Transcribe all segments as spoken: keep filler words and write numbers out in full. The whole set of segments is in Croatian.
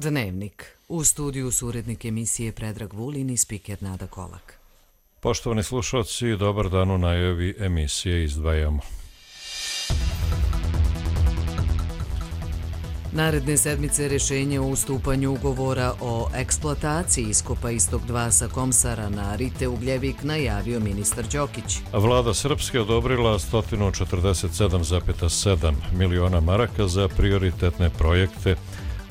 Dnevnik. U studiju su urednik emisije Predrag Vulin i spiker Nada Kolak. Poštovani slušalci, dobar dan, u najavi emisije izdvajamo. Naredne sedmice rješenje o ustupanju ugovora o eksploataciji iskopa Istok dva sa Komsara na Rite Ugljevik najavio ministar Đokić. Vlada Srpske odobrila sto četrdeset sedam zarez sedam miliona maraka za prioritetne projekte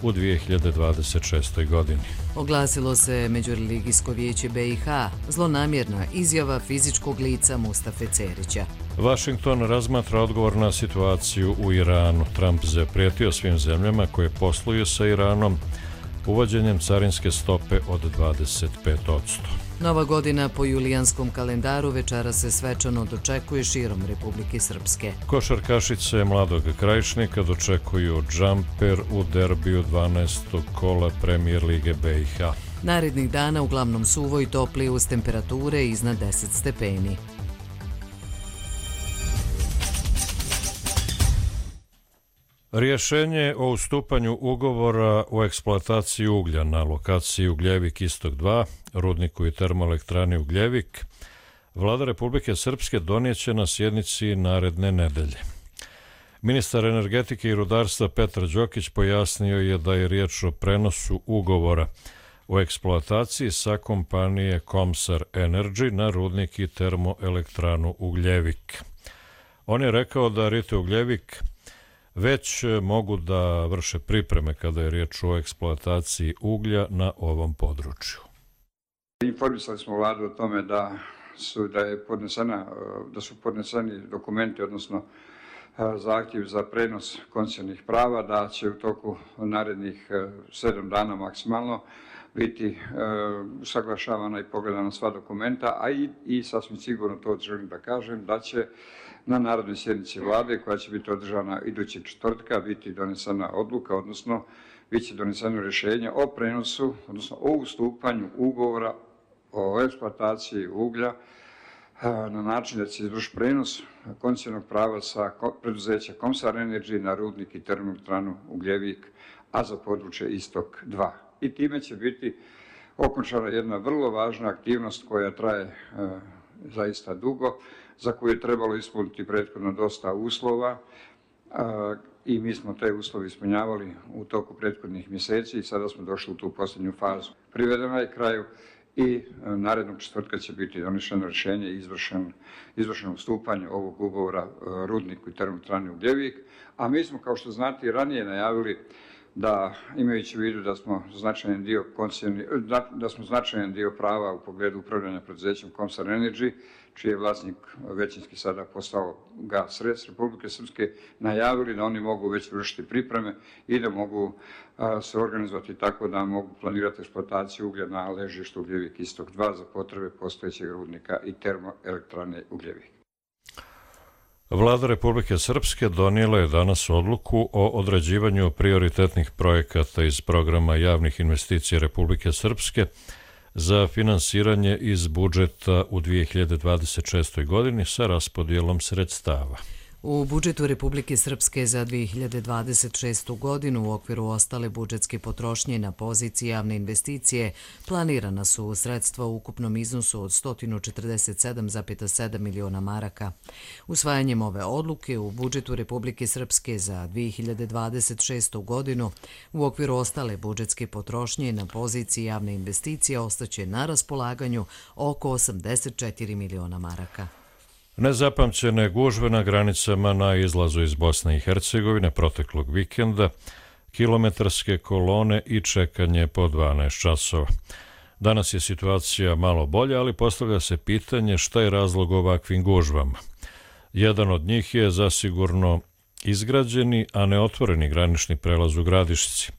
u dvije hiljade dvadeset šestoj. godini. Oglasilo se Međureligijsko vijeće B i H, zlonamjerna izjava fizičkog lica Mustafe Cerića. Vašington razmatra odgovor na situaciju u Iranu. Trump zaprijetio svim zemljama koje posluju sa Iranom uvođenjem carinske stope od dvadeset pet posto. Nova godina po julijanskom kalendaru večera se svečano dočekuje širom Republike Srpske. Košarkašice Mladog Krajišnika dočekuju džamper u derbiju dvanaestog kola Premijer Lige B i H. Narednih dana uglavnom suvo i topli uz temperature iznad deset stepeni. Rješenje o ustupanju ugovora o eksploataciji uglja na lokaciji Ugljevik Istok dva, rudniku i termoelektrani Ugljevik, Vlada Republike Srpske donijeće na sjednici naredne nedelje. Ministar energetike i rudarstva Petar Đokić pojasnio je da je riječ o prenosu ugovora o eksploataciji sa kompanije Komsar Energy na rudnik i termoelektranu Ugljevik. On je rekao da Rite Ugljevik već mogu da vrše pripreme kada je riječ o eksploataciji uglja na ovom području. Informisali smo vladu o tome da su, da je podnesena, da su podneseni dokumenti, odnosno zahtjev za prenos koncesijskih prava, da će u toku narednih sedam dana maksimalno biti usaglašavana i pogledana sva dokumenta, a i, i sasvim sigurno to želim da kažem, da će na narodnoj sjednici vlade, koja će biti održana idućeg četvrtka, biti donesena odluka, odnosno bit će doneseno rješenje o prenosu, odnosno o ustupanju ugovora o eksploataciji uglja na način da će izvršiti prenos koncesijnog prava sa preduzeća Komsar Energy na rudnik i termoelektranu Ugljevik, a za područje Istok dva. I time će biti okončana jedna vrlo važna aktivnost koja traje e, zaista dugo, za koju je trebalo ispuniti prethodno dosta uslova a, i mi smo te uslove ispunjavali u toku prethodnih mjeseci i sada smo došli u tu posljednju fazu. Privedena je kraju i a, narednog četvrtka će biti donešeno rješenje i izvršen, izvršeno ustupanje ovog ugovora a, rudniku i termoelektrani Ugljevik, a mi smo, kao što znate, i ranije najavili da, imajući u vidu da smo značajan dio da, da smo značajan dio prava u pogledu upravljanja preduzećem Komsar Energy, čiji je vlasnik većinski sada postao Gas Republike Srpske, najavili da oni mogu već vršiti pripreme i da mogu a, se organizovati tako da mogu planirati eksploataciju uglja na ležištu Ugljevik Istok dva za potrebe postojećeg rudnika i termoelektrane Ugljevik. Vlada Republike Srpske donijela je danas odluku o određivanju prioritetnih projekata iz programa javnih investicija Republike Srpske za finansiranje iz budžeta u dvije hiljade dvadeset šestoj. godini sa raspodjelom sredstava. U budžetu Republike Srpske za dvije hiljade dvadeset šestu. godinu u okviru ostale budžetske potrošnje na poziciji javne investicije planirana su sredstva u ukupnom iznosu od sto četrdeset sedam zarez sedam miliona maraka. Usvajanjem ove odluke u budžetu Republike Srpske za dvije hiljade dvadeset šestu. godinu u okviru ostale budžetske potrošnje na poziciji javne investicije ostaće na raspolaganju oko osamdeset četiri miliona maraka. Nezapamćene gužve na granicama na izlazu iz Bosne i Hercegovine proteklog vikenda, kilometarske kolone i čekanje po dvanaest časova. Danas je situacija malo bolja, ali postavlja se pitanje šta je razlog ovakvim gužvama. Jedan od njih je zasigurno izgrađeni, a ne otvoreni granični prelaz u Gradišci.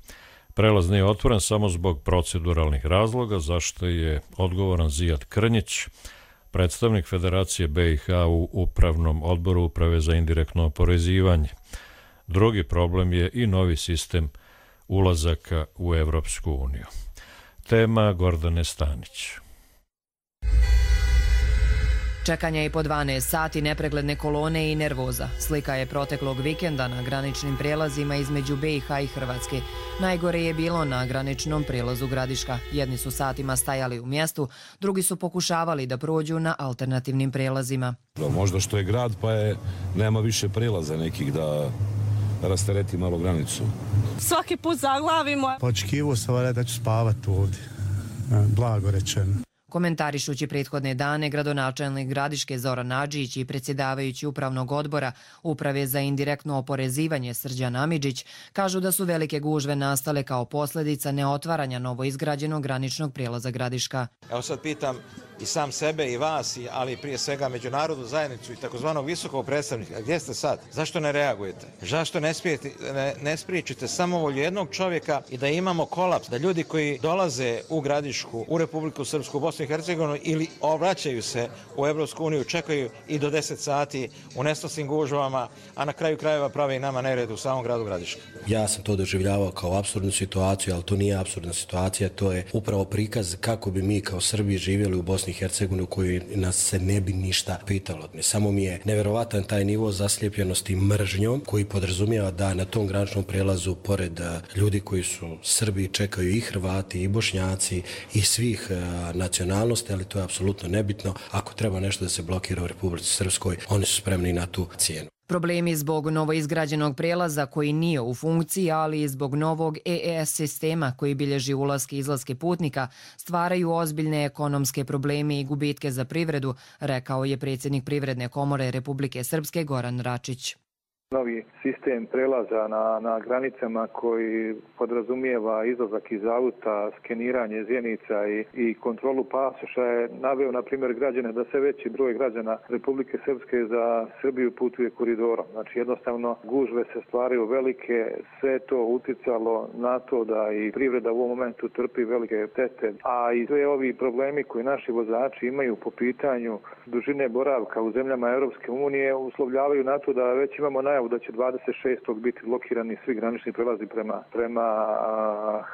Prelaz nije otvoren samo zbog proceduralnih razloga, zašto je odgovoran Zijad Krnjić, predstavnik Federacije B i H u Upravnom odboru Uprave za indirektno oporezivanje. Drugi problem je i novi sistem ulazaka u Evropsku uniju. Tema Gordane Stanić. Čekanja i po dvanaest sati, nepregledne kolone i nervoza. Slika je proteklog vikenda na graničnim prijelazima između B i H i Hrvatske. Najgore je bilo na graničnom prijelazu Gradiška. Jedni su satima stajali u mjestu, drugi su pokušavali da prođu na alternativnim prijelazima. Možda što je grad pa je, nema više prijelaza nekih da rastereti malo granicu. Svaki put zaglavimo. Očekivao sam da ću spavati ovdje, blago rečeno. Komentarišući prethodne dane, gradonačelnik Gradiške Zoran Nadžić i predsjedavajući upravnog odbora Uprave za indirektno oporezivanje Srđan Amidžić kažu da su velike gužve nastale kao posljedica neotvaranja novoizgrađenog graničnog prijelaza Gradiška. Evo sad pitam i sam sebe i vas, ali prije svega međunarodnu zajednicu i takozvanog visokog predstavnika. Gdje ste sad? Zašto ne reagujete? Zašto ne, sprijeti, ne, ne spriječite samovolju jednog čovjeka i da imamo kolaps, da ljudi koji dolaze u Gradišku, u Republiku Srpsku, u Bosnu i Hercegovinu ili obraćaju se u Evropsku uniju, čekaju i do deset sati u nesnosnim gužvama, a na kraju krajeva prave i nama nered u samom gradu Gradiška. Ja sam to doživljavao kao apsurdnu situaciju, ali to nije apsurdna situacija, to je upravo prikaz kako bi mi kao Srbi živjeli u Bosni i Hercegovini u kojoj nas se ne bi ništa pitalo. Samo mi je neverovatan taj nivo zaslijepljenosti mržnjom koji podrazumijeva da na tom graničnom prelazu pored ljudi koji su Srbi čekaju i Hrvati i Bošnjaci i svih nacionalnosti, ali to je apsolutno nebitno. Ako treba nešto da se blokira u Republici Srpskoj, oni su spremni na tu cijenu. Problemi zbog novoizgrađenog prijelaza koji nije u funkciji, ali i zbog novog E E S sistema koji bilježi ulaske i izlaske putnika, stvaraju ozbiljne ekonomske probleme i gubitke za privredu, rekao je predsjednik Privredne komore Republike Srpske Goran Račić. Novi sistem prelaza na, na granicama koji podrazumijeva izlazak iz auta, skeniranje zjenica i, i kontrolu pasoša je naveo, na primjer, građane da sve veći broj građana Republike Srpske za Srbiju putuje koridorom. Znači, jednostavno, gužve se stvaraju velike, sve to uticalo na to da i privreda u ovom momentu trpi velike tete, a i sve ovi problemi koji naši vozači imaju po pitanju dužine boravka u zemljama Europske unije uslovljavaju na to da već imamo najavu da će dvadeset šestog biti blokirani svi granični prelazi prema, prema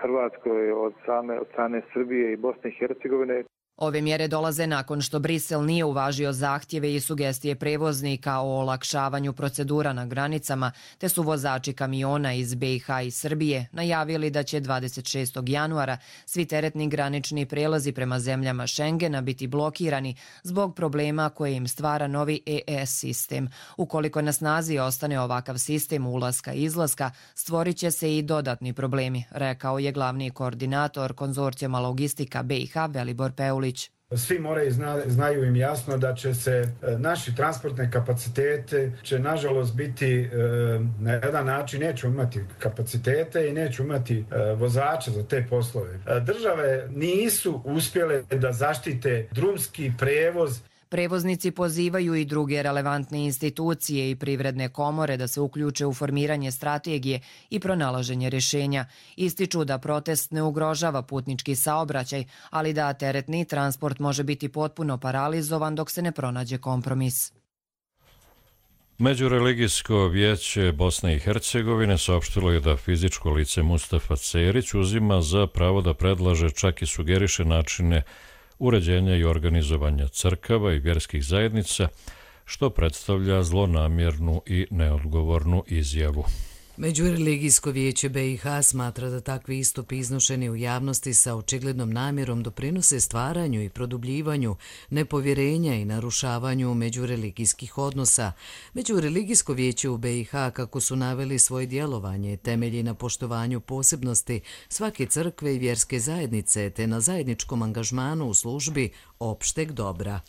Hrvatskoj od same od strane Srbije i Bosne i Hercegovine. Ove mjere dolaze nakon što Brisel nije uvažio zahtjeve i sugestije prevoznika o olakšavanju procedura na granicama, te su vozači kamiona iz B i H i Srbije najavili da će dvadeset šestog januara svi teretni granični prelazi prema zemljama Schengena biti blokirani zbog problema koje im stvara novi E E S sistem. Ukoliko na snazi ostane ovakav sistem ulaska i izlaska, stvorit će se i dodatni problemi, rekao je glavni koordinator konzorcijuma logistika B i H Velibor Peulić. Svi moraju zna, znaju im jasno da će se naši transportne kapacitete će nažalost biti na jedan način neću imati kapacitete i neću imati vozača za te poslove. Države nisu uspjele da zaštite drumski prevoz. Prevoznici pozivaju i druge relevantne institucije i privredne komore da se uključe u formiranje strategije i pronalaženje rješenja. Ističu da protest ne ugrožava putnički saobraćaj, ali da teretni transport može biti potpuno paralizovan dok se ne pronađe kompromis. Međureligijsko vijeće Bosne i Hercegovine saopštilo je da fizičko lice Mustafa Cerić uzima za pravo da predlaže, čak i sugeriše načine uređenja i organizovanja crkava i vjerskih zajednica, što predstavlja zlonamjernu i neodgovornu izjavu. Međureligijsko vijeće B i H smatra da takvi istupi iznošeni u javnosti sa očiglednom namjerom doprinose stvaranju i produbljivanju nepovjerenja i narušavanju međureligijskih odnosa. Međureligijsko vijeće u B i H, kako su naveli svoje djelovanje, temelji na poštovanju posebnosti svake crkve i vjerske zajednice te na zajedničkom angažmanu u službi opšteg dobra.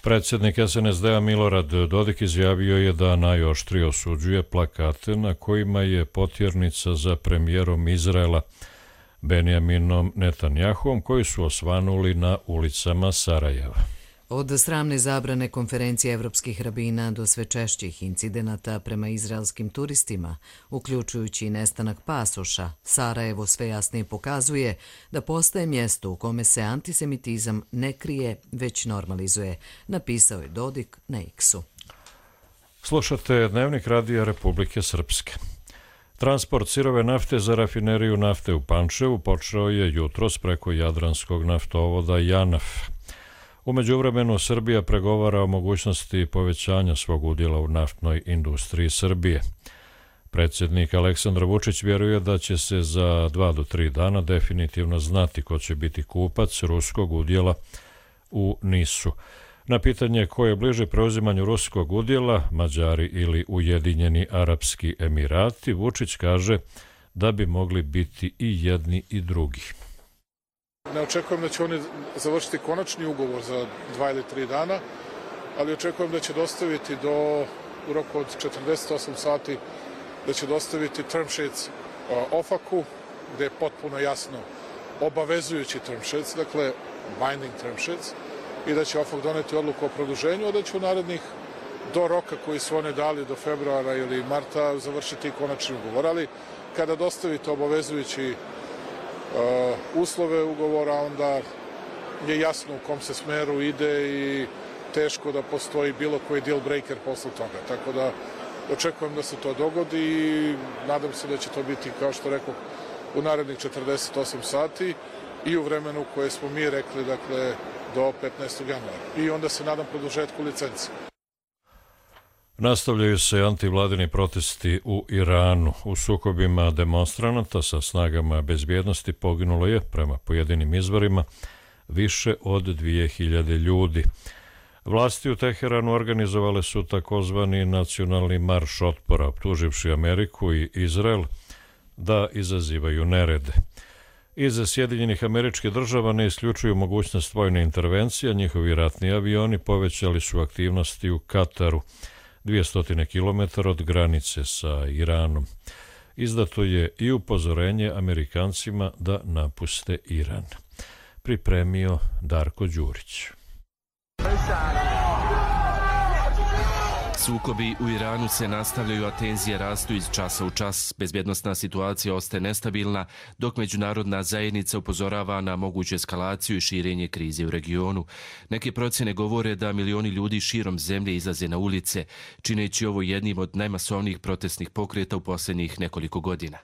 Predsjednik S N S D-a Milorad Dodik izjavio je da najoštrije osuđuje plakate na kojima je potjernica za premijerom Izraela Benjaminom Netanjahuom koji su osvanuli na ulicama Sarajeva. Od sramne zabrane konferencije evropskih rabina do sve češćih incidenata prema izraelskim turistima, uključujući nestanak pasoša, Sarajevo sve jasnije pokazuje da postaje mjesto u kome se antisemitizam ne krije, već normalizuje, napisao je Dodik na X-u. Slušate Dnevnik Radija Republike Srpske. Transport sirove nafte za rafineriju nafte u Pančevu počeo je jutros preko jadranskog naftovoda JANAF. U međuvremenu Srbija pregovara o mogućnosti povećanja svog udjela u naftnoj industriji Srbije. Predsjednik Aleksandar Vučić vjeruje da će se za dva do tri dana definitivno znati ko će biti kupac ruskog udjela u Nisu. Na pitanje ko je bliže preuzimanju ruskog udjela, Mađari ili Ujedinjeni Arapski Emirati, Vučić kaže da bi mogli biti i jedni i drugi. Ne očekujem da će oni završiti konačni ugovor za dva ili tri dana, ali očekujem da će dostaviti do u roku od četrdeset osam sati da će dostaviti term sheets OFAC-u, gde je potpuno jasno obavezujući term sheets, dakle binding term sheets, i da će OFAC doneti odluku o produženju, a da će u narednih do roka koji su oni dali do februara ili marta završiti konačni ugovor. Ali kada dostavite obavezujući uh, uslove ugovora, onda je jasno u kom se smeru ide i teško da postoji bilo koji deal breaker posle toga. Tako da očekujem da se to dogodi i nadam se da će to biti, kao što rekao, u narednih četrdeset osam sati i u vremenu koje smo mi rekli, dakle, do petnaestog januara. I onda se nadam produžetku licenci. Nastavljaju se antivladini protesti u Iranu. U sukobima demonstranata sa snagama bezbjednosti poginulo je, prema pojedinim izvorima, više od dvije hiljade ljudi. Vlasti u Teheranu organizovale su takozvani nacionalni marš otpora, optuživši Ameriku i Izrael da izazivaju nerede. Iz Sjedinjenih Američkih Država ne isključuju mogućnost vojne intervencije, njihovi ratni avioni povećali su aktivnosti u Kataru, dvjesto kilometara od granice sa Iranom. Izdato je i upozorenje Amerikancima da napuste Iran. Pripremio Darko Đurić. Sukobi u Iranu se nastavljaju, a tenzije rastu iz časa u čas. Bezbjednosna situacija ostaje nestabilna, dok međunarodna zajednica upozorava na moguću eskalaciju i širenje krize u regionu. Neke procjene govore da milioni ljudi širom zemlje izlaze na ulice, čineći ovo jednim od najmasovnijih protestnih pokreta u posljednjih nekoliko godina.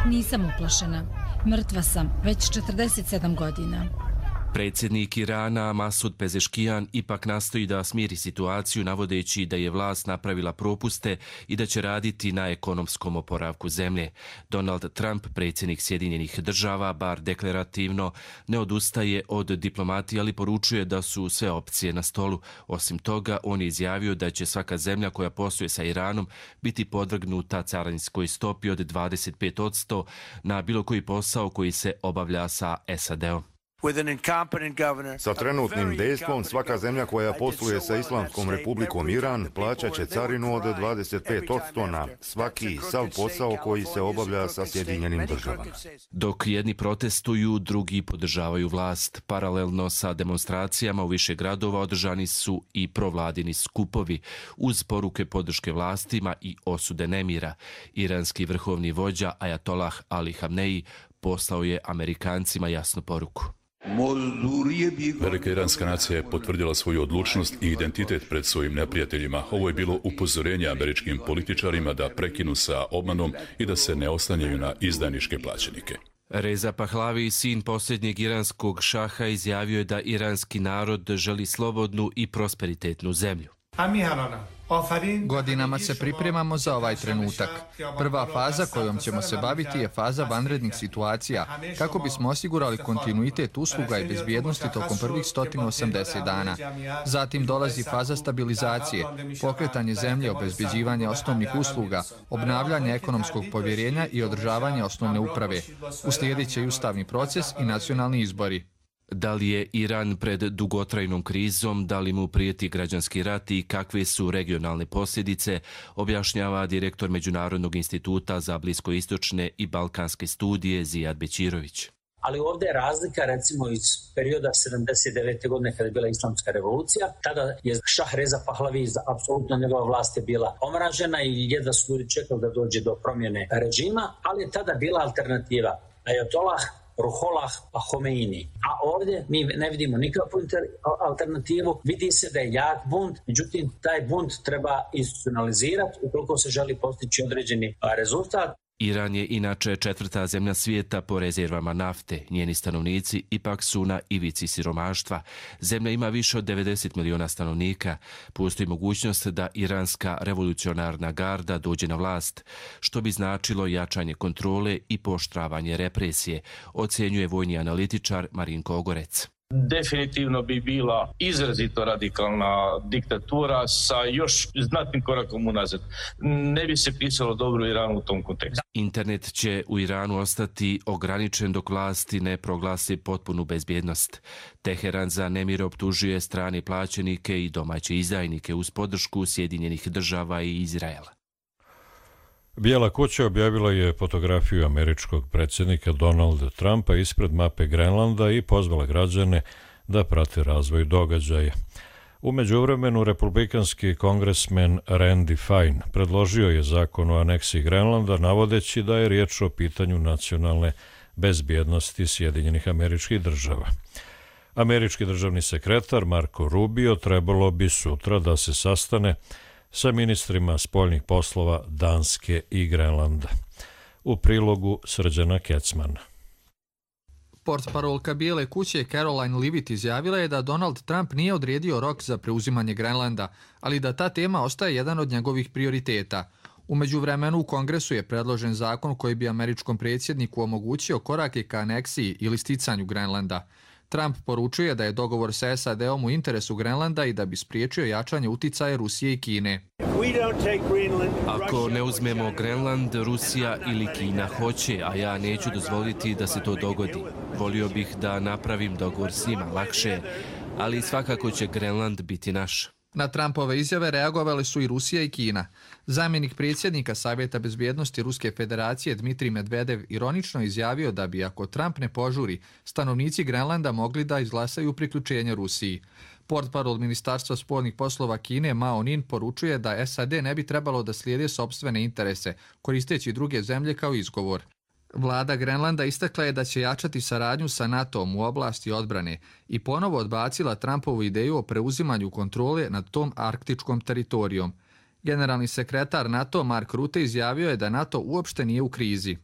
Nisam uplašena. Mrtva sam već četrdeset sedam godina. Predsjednik Irana Masud Pezeškijan ipak nastoji da smiri situaciju, navodeći da je vlast napravila propuste i da će raditi na ekonomskom oporavku zemlje. Donald Trump, predsjednik Sjedinjenih Država, bar deklarativno, ne odustaje od diplomatije, ali poručuje da su sve opcije na stolu. Osim toga, on je izjavio da će svaka zemlja koja posluje sa Iranom biti podvrgnuta carinskoj stopi od dvadeset pet posto na bilo koji posao koji se obavlja sa S A D-om. Sa trenutnim dejstvom svaka zemlja koja posluje sa Islamskom republikom Iran plaćat će carinu od dvadeset pet posto na svaki sav posao koji se obavlja sa Sjedinjenim Državama. Dok jedni protestuju, drugi podržavaju vlast. Paralelno sa demonstracijama u više gradova održani su i provladini skupovi uz poruke podrške vlastima i osude nemira. Iranski vrhovni vođa Ajatolah Ali Hamneji poslao je Amerikancima jasnu poruku. Velika iranska nacija je potvrdila svoju odlučnost i identitet pred svojim neprijateljima. Ovo je bilo upozorenje američkim političarima da prekinu sa obmanom i da se ne oslanjaju na izdajničke plaćenike. Reza Pahlavi, sin posljednjeg iranskog šaha, izjavio je da iranski narod želi slobodnu i prosperitetnu zemlju. Godinama se pripremamo za ovaj trenutak. Prva faza kojom ćemo se baviti je faza vanrednih situacija, kako bismo osigurali kontinuitet usluga i bezbjednosti tokom prvih sto osamdeset dana. Zatim dolazi faza stabilizacije, pokretanje zemlje, obezbeđivanje osnovnih usluga, obnavljanje ekonomskog povjerenja i održavanje osnovne uprave. Uslijedit će i ustavni proces i nacionalni izbori. Da li je Iran pred dugotrajnom krizom, da li mu prijeti građanski rat i kakve su regionalne posljedice, objašnjava direktor Međunarodnog instituta za bliskoistočne i balkanske studije Zijad Bećirović. Ali ovdje je razlika, recimo, iz perioda sedamdeset devete godine kada je bila islamska revolucija. Tada je šah Reza Pahlavi, apsolutno njegova vlast je bila omražena i jedva su ljudi čekali da dođe do promjene režima, ali je tada bila alternativa Ajatolah, Ruhollah pa Homeini. A ovdje mi ne vidimo nikakvu alternativu. Vidi se da je jak bunt, međutim taj bunt treba institucionalizirati ukoliko se želi postići određeni rezultat. Iran je inače četvrta zemlja svijeta po rezervama nafte. Njeni stanovnici ipak su na ivici siromaštva. Zemlja ima više od devedeset miliona stanovnika. Postoji mogućnost da iranska revolucionarna garda dođe na vlast, što bi značilo jačanje kontrole i pooštravanje represije, ocjenjuje vojni analitičar Marinko Ogorec. Definitivno bi bila izrazito radikalna diktatura sa još znatnim korakom unazad. Ne bi se pisalo dobro Iranu u tom kontekstu. Internet će u Iranu ostati ograničen dok vlasti ne proglasi potpunu bezbjednost. Teheran za nemir optužuje strane plaćenike i domaće izdajnike uz podršku Sjedinjenih država i Izraela. Bijela kuća objavila je fotografiju američkog predsjednika Donalda Trumpa ispred mape Grenlanda i pozvala građane da prate razvoj događaja. U međuvremenu republikanski kongresmen Randy Fine predložio je zakon o aneksiji Grenlanda navodeći da je riječ o pitanju nacionalne bezbjednosti Sjedinjenih Američkih Država. Američki državni sekretar Marco Rubio trebalo bi sutra da se sastane sa ministrima spoljnih poslova Danske i Grenlanda. U prilogu Srđana Kecmana. Portparolka Bijele kuće Caroline Leavitt izjavila je da Donald Trump nije odredio rok za preuzimanje Grenlanda, ali da ta tema ostaje jedan od njegovih prioriteta. U međuvremenu u Kongresu je predložen zakon koji bi američkom predsjedniku omogućio korake ka aneksiji ili sticanju Grenlanda. Trump poručuje da je dogovor sa S A D-om u interesu Grenlanda i da bi spriječio jačanje uticaja Rusije i Kine. Ako ne uzmemo Grenland, Rusija ili Kina hoće, a ja neću dozvoliti da se to dogodi. Volio bih da napravim dogovor s njima lakše, ali svakako će Grenland biti naš. Na Trumpove izjave reagovali su i Rusija i Kina. Zamjenik predsjednika Savjeta bezbjednosti Ruske federacije Dmitrij Medvedev ironično izjavio da bi, ako Trump ne požuri, stanovnici Grenlanda mogli da izglasaju priključenje Rusiji. Portparol Ministarstva spoljnih poslova Kine Mao Nin poručuje da S A D ne bi trebalo da slijede sopstvene interese, koristeći druge zemlje kao izgovor. Vlada Grenlanda istakla je da će jačati saradnju sa NATO-om u oblasti odbrane i ponovo odbacila Trumpovu ideju o preuzimanju kontrole nad tom arktičkom teritorijom. Generalni sekretar NATO Mark Rutte izjavio je da NATO uopšte nije u krizi.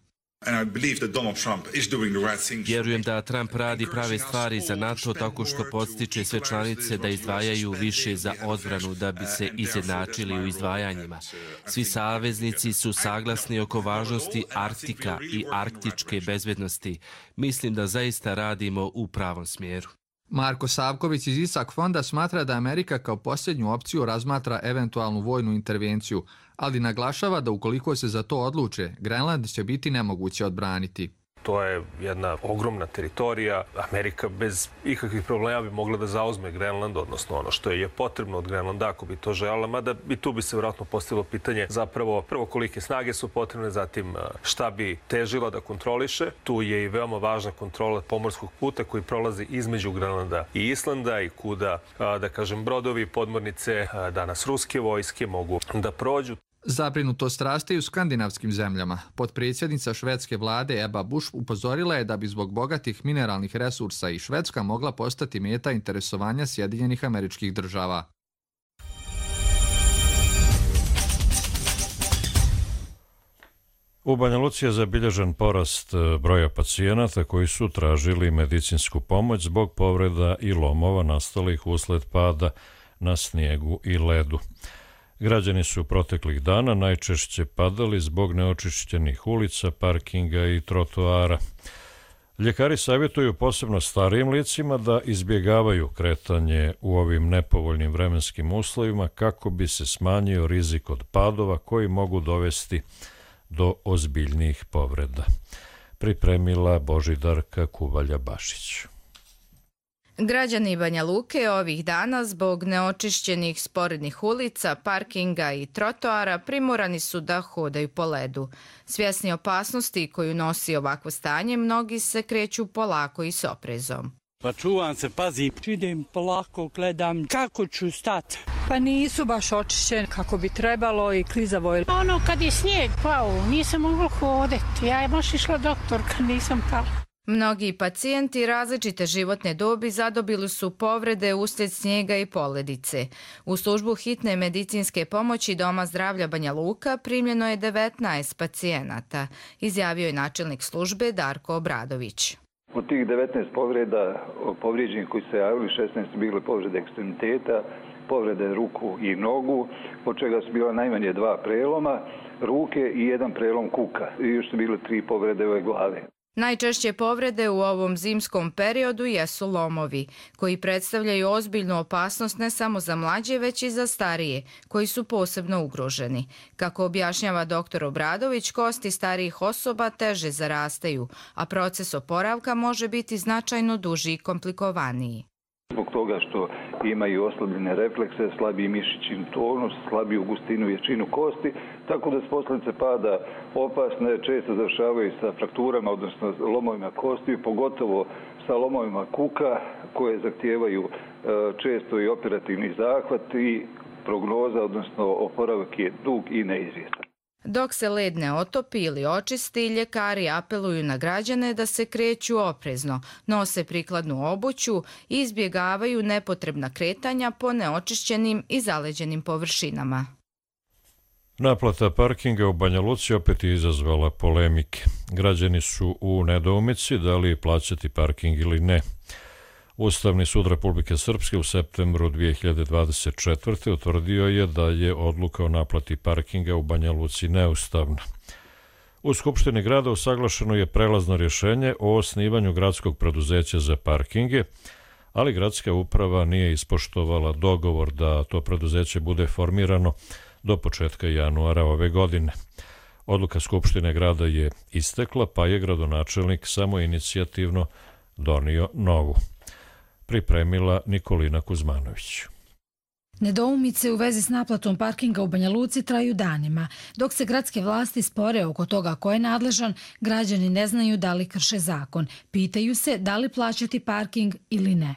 Vjerujem da Trump radi prave stvari za NATO tako što podstiče sve članice da izdvajaju više za odbranu da bi se izjednačili u izdvajanjima. Svi saveznici su saglasni oko važnosti Arktika i arktičke bezbednosti. Mislim da zaista radimo u pravom smjeru. Marko Savković iz Isak fonda smatra da Amerika kao posljednju opciju razmatra eventualnu vojnu intervenciju, ali naglašava da ukoliko se za to odluče, Grenland će biti nemoguće odbraniti. To je jedna ogromna teritorija. Amerika bez ikakvih problema bi mogla da zauzme Grenland, odnosno ono što je potrebno od Grenlanda ako bi to željela, mada i tu bi se vjerojatno postavilo pitanje zapravo prvo kolike snage su potrebne, zatim šta bi težila da kontroliše. Tu je i veoma važna kontrola pomorskog puta koji prolazi između Grenlanda i Islanda i kuda, da kažem, brodovi, podmornice, danas ruske vojske mogu da prođu. Zabrinutost raste i u skandinavskim zemljama. Potpredsjednica švedske vlade Ebba Busch upozorila je da bi zbog bogatih mineralnih resursa i Švedska mogla postati meta interesovanja Sjedinjenih Američkih Država. U Banja Luci je zabilježen porast broja pacijenata koji su tražili medicinsku pomoć zbog povreda i lomova nastalih usled pada na snijegu i ledu. Građani su proteklih dana najčešće padali zbog neočišćenih ulica, parkinga i trotoara. Ljekari savjetuju posebno starijim licima da izbjegavaju kretanje u ovim nepovoljnim vremenskim uslovima kako bi se smanjio rizik od padova koji mogu dovesti do ozbiljnijih povreda. Pripremila Božidarka Kuvalja-Bašić. Građani Banja Luke ovih dana zbog neočišćenih sporednih ulica, parkinga i trotoara primorani su da hodaju po ledu. Svjesni opasnosti koju nosi ovakvo stanje, mnogi se kreću polako i s oprezom. Pa čuvam se, pazi, idem polako, gledam kako ću stati. Pa nisu baš očišćeni kako bi trebalo i klizavo je. Ono kad je snijeg pao, nisam mogla hoditi. Ja je baš išla doktor kad nisam pala. Mnogi pacijenti različite životne dobi zadobili su povrede uslijed snijega i poledice. U službu hitne medicinske pomoći Doma zdravlja Banja Luka primljeno je devetnaest pacijenata, izjavio je načelnik službe Darko Obradović. Od tih devetnaest povreda povrijeđenih koji se javili, šesnaest bile povrede ekstremiteta, povrede ruku i nogu, od čega su bila najmanje dva preloma ruke i jedan prelom kuka. I još su bile tri povrede ove glave. Najčešće povrede u ovom zimskom periodu jesu lomovi, koji predstavljaju ozbiljnu opasnost ne samo za mlađe, već i za starije, koji su posebno ugroženi. Kako objašnjava doktor Obradović, kosti starijih osoba teže zarastaju, a proces oporavka može biti značajno duži i komplikovaniji. Zbog toga što imaju oslabljene reflekse, slabiji mišićni tonus, slabiju gustinu i jačinu kosti, tako da s posljedice pada opasne često završavaju sa frakturama, odnosno lomovima kosti, pogotovo sa lomovima kuka koje zahtijevaju često i operativni zahvat i prognoza, odnosno oporavak je dug i neizvjestan. Dok se led ne otopi ili očisti, ljekari apeluju na građane da se kreću oprezno, nose prikladnu obuću i izbjegavaju nepotrebna kretanja po neočišćenim i zaleđenim površinama. Naplata parkinga u Banja Luci opet je izazvala polemike. Građani su u nedoumici da li plaćati parking ili ne. Ustavni sud Republike Srpske u septembru dvije hiljade dvadeset četvrte utvrdio je da je odluka o naplati parkinga u Banja Luci neustavna. U Skupštini grada usaglašeno je prelazno rješenje o osnivanju gradskog preduzeća za parkinge, ali gradska uprava nije ispoštovala dogovor da to preduzeće bude formirano do početka januara ove godine. Odluka Skupštine grada je istekla, pa je gradonačelnik samoinicijativno donio novu. Pripremila Nikolina Kuzmanović. Nedoumice u vezi s naplatom parkinga u Banja Luci traju danima. Dok se gradske vlasti spore oko toga ko je nadležan, građani ne znaju da li krše zakon. Pitaju se da li plaćati parking ili ne.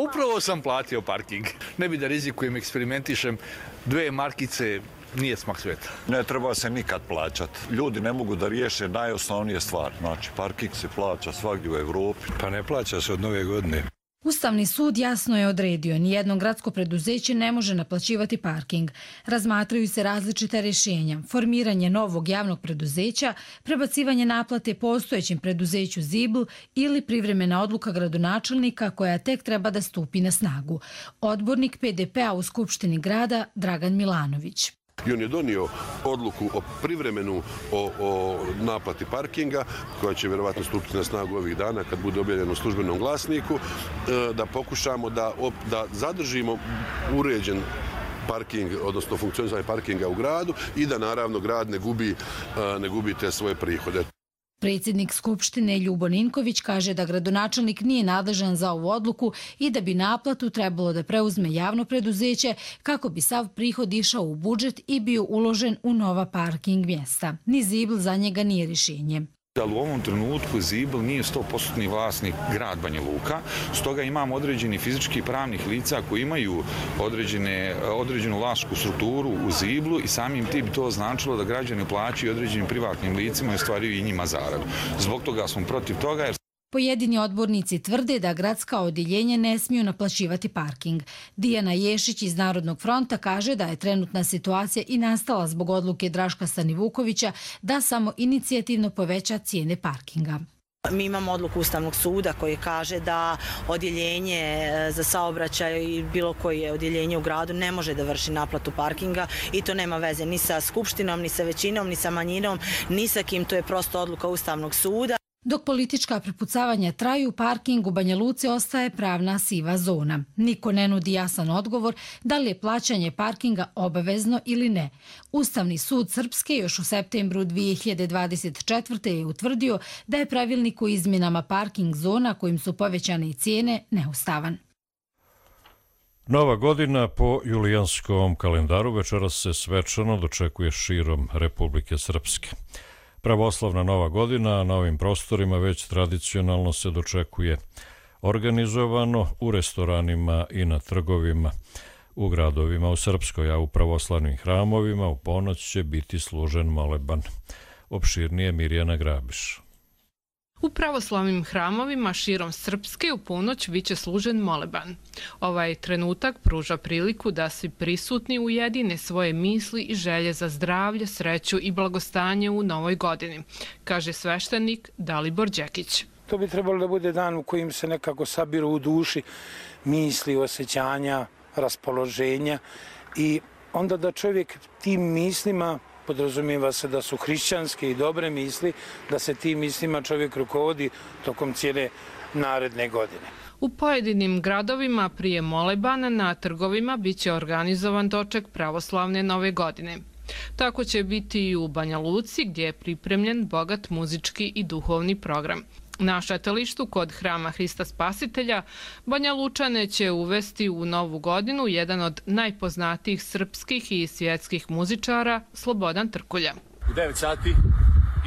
Upravo sam platio parking. Ne bi da rizikujem, eksperimentišem. Dve markice, nije smak sveta. Ne treba se nikad plaćati. Ljudi ne mogu da riješe najosnovnije stvari. Znači, parking se plaća svagdje u Evropi. Pa ne plaća se od nove godine. Ustavni sud jasno je odredio, nijedno gradsko preduzeće ne može naplaćivati parking. Razmatraju se različita rješenja, formiranje novog javnog preduzeća, prebacivanje naplate postojećem preduzeću Zibl ili privremena odluka gradonačelnika koja tek treba da stupi na snagu. Odbornik P D P-a u Skupštini grada Dragan Milanović. I on je donio odluku o privremenu o, o naplati parkinga, koja će vjerovatno stupiti na snagu ovih dana kad bude objavljeno u službenom glasniku, da pokušamo da, da zadržimo uređen parking, odnosno funkcionisanje parkinga u gradu i da naravno grad ne gubi, ne gubi te svoje prihode. Predsjednik Skupštine Ljubo Ninković kaže da gradonačelnik nije nadležan za ovu odluku i da bi naplatu trebalo da preuzme javno preduzeće kako bi sav prihod išao u budžet i bio uložen u nova parking mjesta. Ni Zibl za njega nije rješenje. Ali u ovom trenutku Zibl nije sto posto vlasnik grad Banja Luka, stoga imamo određeni fizički i pravnih lica koji imaju određene, određenu vlasničku strukturu u Ziblu i samim tim bi to značilo da građani plaćaju određenim privatnim licima i ostvaruju i njima zaradu. Zbog toga smo protiv toga jer Pojedini odbornici tvrde da gradska odjeljenja ne smiju naplaćivati parking. Dijana Ješić iz Narodnog fronta kaže da je trenutna situacija i nastala zbog odluke Draška Stanivukovića da samo inicijativno poveća cijene parkinga. Mi imamo odluku Ustavnog suda koji kaže da odjeljenje za saobraćaj i bilo koje odjeljenje u gradu ne može da vrši naplatu parkinga i to nema veze ni sa skupštinom, ni sa većinom, ni sa manjinom, ni sa kim, to je prosto odluka Ustavnog suda. Dok politička prepucavanja traju, parking u Banja Luci ostaje pravna siva zona. Niko ne nudi jasan odgovor da li je plaćanje parkinga obavezno ili ne. Ustavni sud Srpske još u septembru dvije hiljade dvadeset četvrte je utvrdio da je pravilnik o izmjenama parking zona kojim su povećane i cijene neustavan. Nova godina po julijanskom kalendaru večeras se svečano dočekuje širom Republike Srpske. Pravoslavna Nova godina na ovim prostorima već tradicionalno se dočekuje organizovano u restoranima i na trgovima u gradovima u Srpskoj, a u pravoslavnim hramovima u ponoć će biti služen moleban. Opširnije Mirjana Grabiš. U pravoslavnim hramovima širom Srpske u ponoć biće služen moleban. Ovaj trenutak pruža priliku da svi prisutni ujedine svoje misli i želje za zdravlje, sreću i blagostanje u novoj godini, kaže sveštenik Dalibor Đekić. To bi trebalo da bude dan u kojim se nekako sabiru u duši misli, osjećanja, raspoloženja i onda da čovjek tim mislima, podrazumijeva se da su hrišćanske i dobre misli, da se tim mislima čovjek rukovodi tokom cijele naredne godine. U pojedinim gradovima prije molebana na trgovima biće organizovan doček pravoslavne nove godine. Tako će biti i u Banja Luci gdje je pripremljen bogat muzički i duhovni program. Na šetalištu kod Hrama Hrista Spasitelja Banja Lučane će uvesti u novu godinu jedan od najpoznatijih srpskih i svjetskih muzičara, Slobodan Trkulja. U devet sati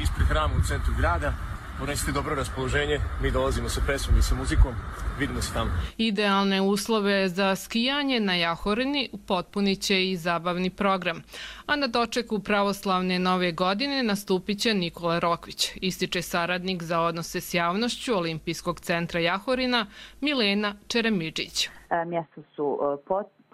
ispred hrama u centru grada, ponesite dobro raspoloženje, mi dolazimo sa pesmom i sa muzikom, vidimo se tamo. Idealne uslove za skijanje na Jahorini potpunit će i zabavni program. A na dočeku pravoslavne nove godine nastupit će Nikola Rokvić, ističe saradnik za odnose s javnošću Olimpijskog centra Jahorina Milena Čeremidžić. Mjesta su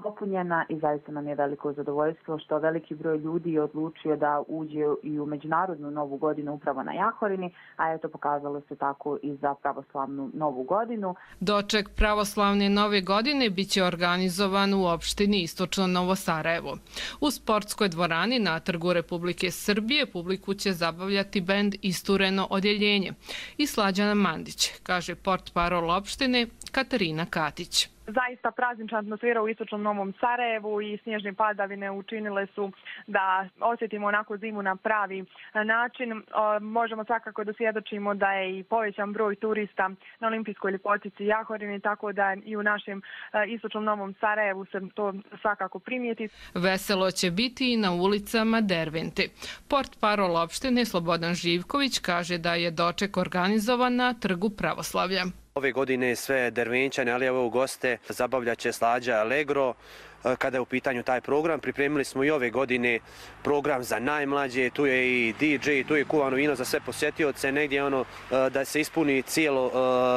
popunjena i zaista nam je veliko zadovoljstvo što veliki broj ljudi je odlučio da uđe i u međunarodnu novu godinu upravo na Jahorini, a eto pokazalo se tako i za pravoslavnu novu godinu. Doček pravoslavne nove godine biće organizovan u opštini Istočno Novo Sarajevo. U sportskoj dvorani na Trgu Republike Srbije publiku će zabavljati bend Istureno odjeljenje i Slađana Mandić, kaže portparol opštine Katarina Katić. Zaista praznična atmosfera u Istočnom Novom Sarajevu i snježne padavine učinile su da osjetimo onako zimu na pravi način. Možemo svakako da svjedočimo da je i povećan broj turista na olimpijskoj ljepotici Jahorini, tako da i u našem Istočnom Novom Sarajevu se to svakako primijeti. Veselo će biti i na ulicama Dervente. Portparol opštine Slobodan Živković kaže da je doček organizovan na Trgu Pravoslavlja. Ove godine sve Dervenčane, ali evo goste, zabavljat će Slađa Allegro. Kada je u pitanju taj program, pripremili smo i ove godine program za najmlađe, tu je i D J, tu je kuvano vino za sve posjetioce, negdje ono da se ispuni cijelo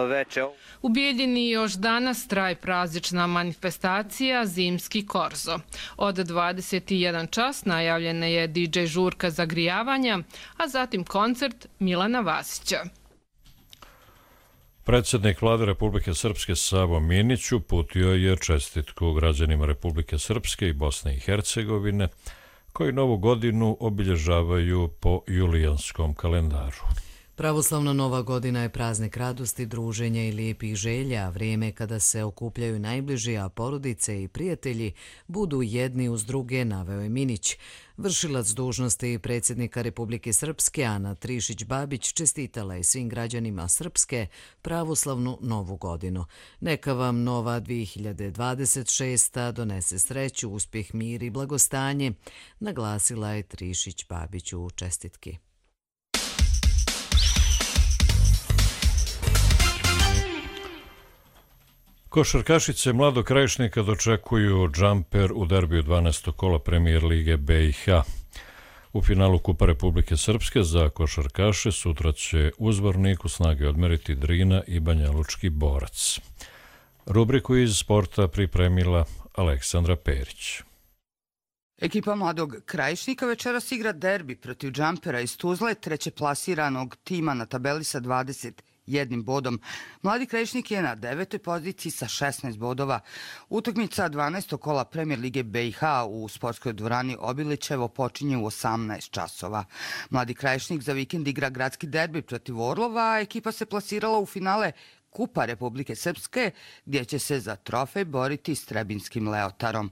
veče. U Bijeljini još danas traje praznična manifestacija Zimski korzo. Od dvadeset jedan čas najavljena je D J žurka zagrijavanja, a zatim koncert Milana Vasića. Predsjednik Vlade Republike Srpske Savo Minić uputio je čestitku građanima Republike Srpske i Bosne i Hercegovine koji novu godinu obilježavaju po julijanskom kalendaru. Pravoslavna nova godina je praznik radosti, druženja i lijepih želja, vrijeme kada se okupljaju najbliži, a porodice i prijatelji budu jedni uz druge, naveo je Minić. Vršilac dužnosti predsjednika Republike Srpske Ana Trišić-Babić čestitala je svim građanima Srpske pravoslavnu novu godinu. Neka vam nova dvije hiljade dvadeset šesta donese sreću, uspjeh, mir i blagostanje, naglasila je Trišić-Babić u čestitki. Košarkašice Mladog Krajišnika dočekuju džamper u derbiju dvanaestog kola Premijer Lige B i H. U finalu Kupa Republike Srpske za košarkaše sutra će u Zvorniku snage odmeriti Drina i Banjalučki Borac. Rubriku iz sporta pripremila Aleksandra Perić. Ekipa Mladog Krajišnika večeras igra derbi protiv džampera iz Tuzle, treće plasiranog tima na tabeli sa dvadeset jednim bodom. Mladi Krajišnik je na devetoj poziciji sa šesnaest bodova. Utakmica dvanaestog kola Premijer Lige B i H u sportskoj dvorani Obilićevo počinje u osamnaest časova. Mladi Krajišnik za vikend igra gradski derbi protiv Orlova, a ekipa se plasirala u finale Kupa Republike Srpske, gdje će se za trofej boriti s Trebinskim Leotarom.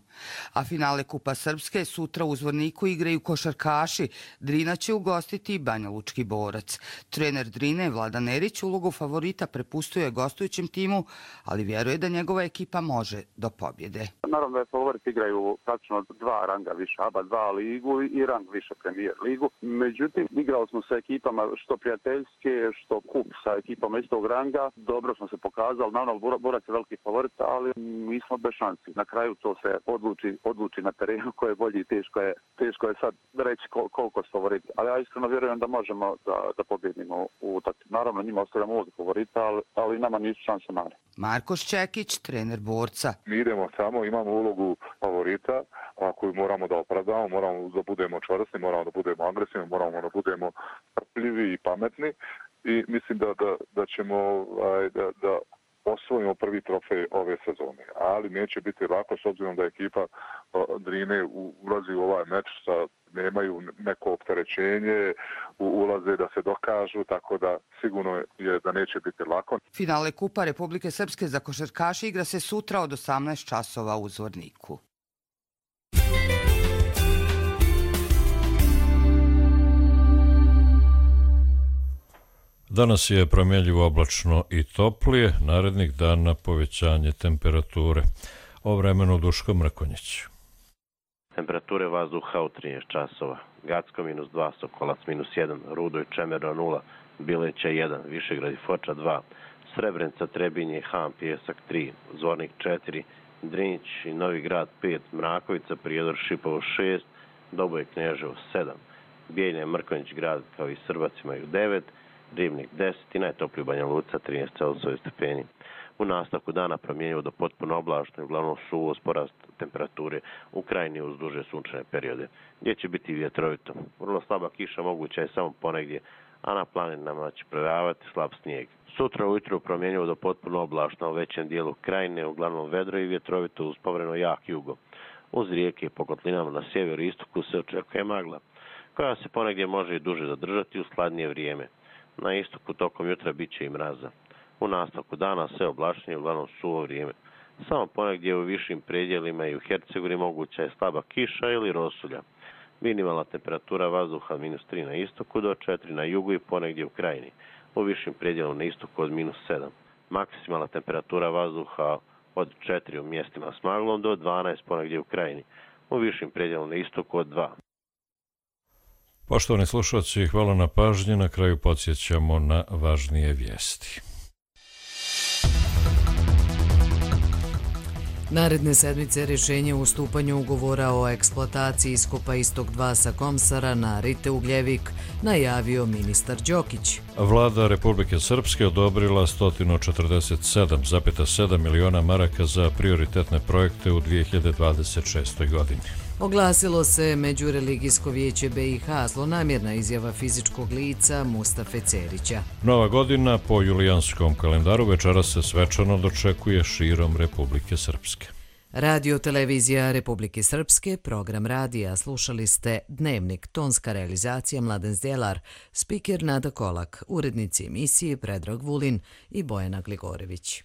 A finale Kupa Srpske sutra u Zvorniku igraju košarkaši. Drina će ugostiti Banjalučki Borac. Trener Drine, Vladan Erić, ulogu favorita prepustuje gostujućem timu, ali vjeruje da njegova ekipa može do pobjede. Naravno da je favorit igraju praktično dva ranga više, A B A dva ligu i rang više Premijer ligu. Međutim, igrali smo sa ekipama što prijateljske, što kup sa ekipama istog ranga. Dobro smo se pokazali, naravno Borac je veliki favorit, ali mi smo bez šansi. Na kraju to se odluči, odluči na terenu ko je bolji i teško je, teško je sad reći kol, koliko su favoriti. Ali ja iskreno vjerujem da možemo da, da pobjedimo u takvi. Naravno njima ostavljamo ovdje favorita, ali, ali nama nisu šanse male. Marko Šćekić, trener Borca. Mi idemo samo, imamo ulogu favorita, a koju moramo da opravdamo, moramo da budemo čvrsti, moramo da budemo agresivni, moramo da budemo strpljivi i pametni i mislim da, da, da ćemo da, da osvojimo prvi trofej ove sezone. Ali neće biti lako s obzirom da ekipa Drine ulazi u ovaj meč sa nemaju neko opterećenje, ulaze da se dokažu, tako da sigurno je da neće biti lako. Finale Kupa Republike Srpske za košarkaše igra se sutra od osamnaest časova u Zvorniku. Danas je promjenljivo oblačno i toplije, narednih dana povećanje temperature. O vremenu Duško Mrkonjić. Temperature vazduha u trinaest časova. Gacko minus dva, Sokolac minus jedan, Rudo i Čemerno nula, Bileća jedan, Višegrad i Foča dva, Srebrenica, Trebinje, Ham, Pjesak tri, Zvornik četiri, Drinić i Novi Grad pet, Mrakovica, Prijedor, Šipovo šest, Doboj, Knježevo sedam, Bijeljne, Mrkonjić grad kao i Srbac imaju devet, Ribnik deset i najtopliji Banja Luka trinaest Celzijusovih stepeni. U nastavku dana promjenjivo do potpuno oblačno i uglavnom suvo s porast temperature u krajini uz duže sunčane periode, gdje će biti vjetrovito. Vrlo slaba kiša moguća je samo ponegdje, a na planinama će prevajavati slab snijeg. Sutra ujutro promjenjivo do potpuno oblačno u većem dijelu krajine, uglavnom vedro i vjetrovito uz povremeno jak jugo. Uz rijeke i po kotlinama na sjeveru i istoku se očekuje magla, koja se ponegdje može i duže zadržati u hladnije vrijeme. Na istoku tokom jutra bit će i mraza. U nastavku dana sve oblačnije, uglavnom suvo vrijeme. Samo ponegdje u višim predjelima i u Hercegovini moguća je slaba kiša ili rosulja. Minimalna temperatura vazduha minus tri na istoku do četiri na jugu i ponegdje u krajini. U višim predjelima na istoku od minus sedam. Maksimalna temperatura vazduha od četiri u mjestima s maglom do dvanaest ponegdje u krajini. U višim predjelima na istoku od dva. Poštovani slušalci, hvala na pažnji. Na kraju podsjećamo na važnije vijesti. Naredne sedmice rješenje o ustupanju ugovora o eksploataciji iskopa Istok dva sa Komsara na Rite Ugljevik najavio ministar Đokić. Vlada Republike Srpske odobrila sto četrdeset sedam zarez sedam miliona maraka za prioritetne projekte u dvije hiljade dvadeset šestoj godini. Oglasilo se Međureligijsko vijeće B i H, zlonamjerna izjava fizičkog lica Mustafe Cerića. Nova godina po julijanskom kalendaru večeras se svečano dočekuje širom Republike Srpske. Radio televizija Republike Srpske, program radija, slušali ste Dnevnik, tonska realizacija Mladen Zdjelar, spiker Nada Kolak, urednici emisije Predrag Vulin i Bojana Gligorević.